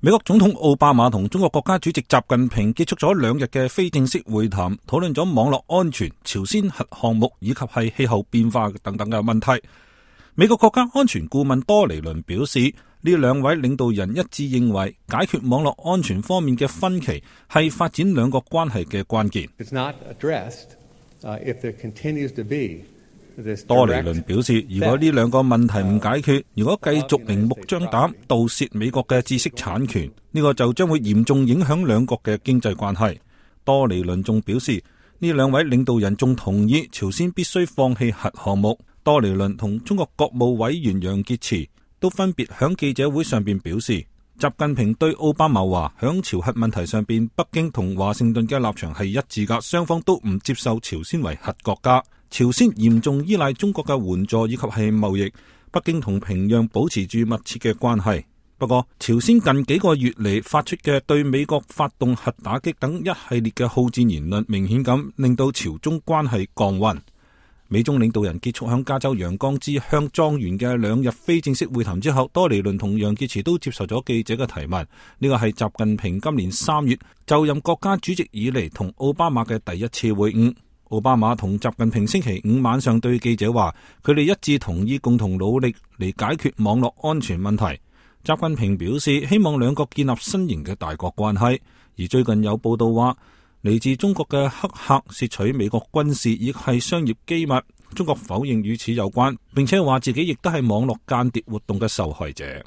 美國總統奧巴馬同中國國家主席習近平結束咗2日嘅非正式會談，討論咗網絡安全、朝鮮核項目以及係氣候變化等等嘅問題。美國國家安全顧問多尼倫表示，呢2位領導人一致認為，解決網絡安全方面嘅分歧係發展兩國關係嘅關鍵。多尼倫表示，如果呢2個問題唔解決，如果繼續明目張膽盜竊美國嘅知識產權，呢個就將會嚴重影響兩國嘅經濟關係。多尼倫仲表示，呢2位領導人仲同意朝鮮必須放棄核項目。多尼倫同中國國務委員楊潔篪都分別響記者會上邊表示，習近平對奧巴馬話，響朝核問題上邊，北京同華盛頓嘅立場係一致噶，雙方都唔接受朝鮮為核國家。朝鮮嚴重依賴中國嘅援助以及係貿易，北京同平壤保持住密切嘅關係。不過，朝鮮近幾個月嚟發出嘅對美國發動核打擊等一系列嘅好戰言論，明顯咁令到朝中關係降溫。美中領導人結束響加州陽光之鄉莊園嘅2日非正式會談之後，多尼倫同楊潔篪都接受咗記者嘅提問。呢個係習近平今年3月就任國家主席以嚟同奧巴馬嘅第一次會晤。奧巴馬同習近平星期5晚上對記者話，佢哋一致同意共同努力嚟解決網絡安全問題。習近平表示，希望兩國建立新型嘅大國關係。而最近有報道話，嚟自中國嘅黑客竊取美國軍事亦係商業機密，中國否認與此有關，並且話自己亦都係網絡間諜活動嘅受害者。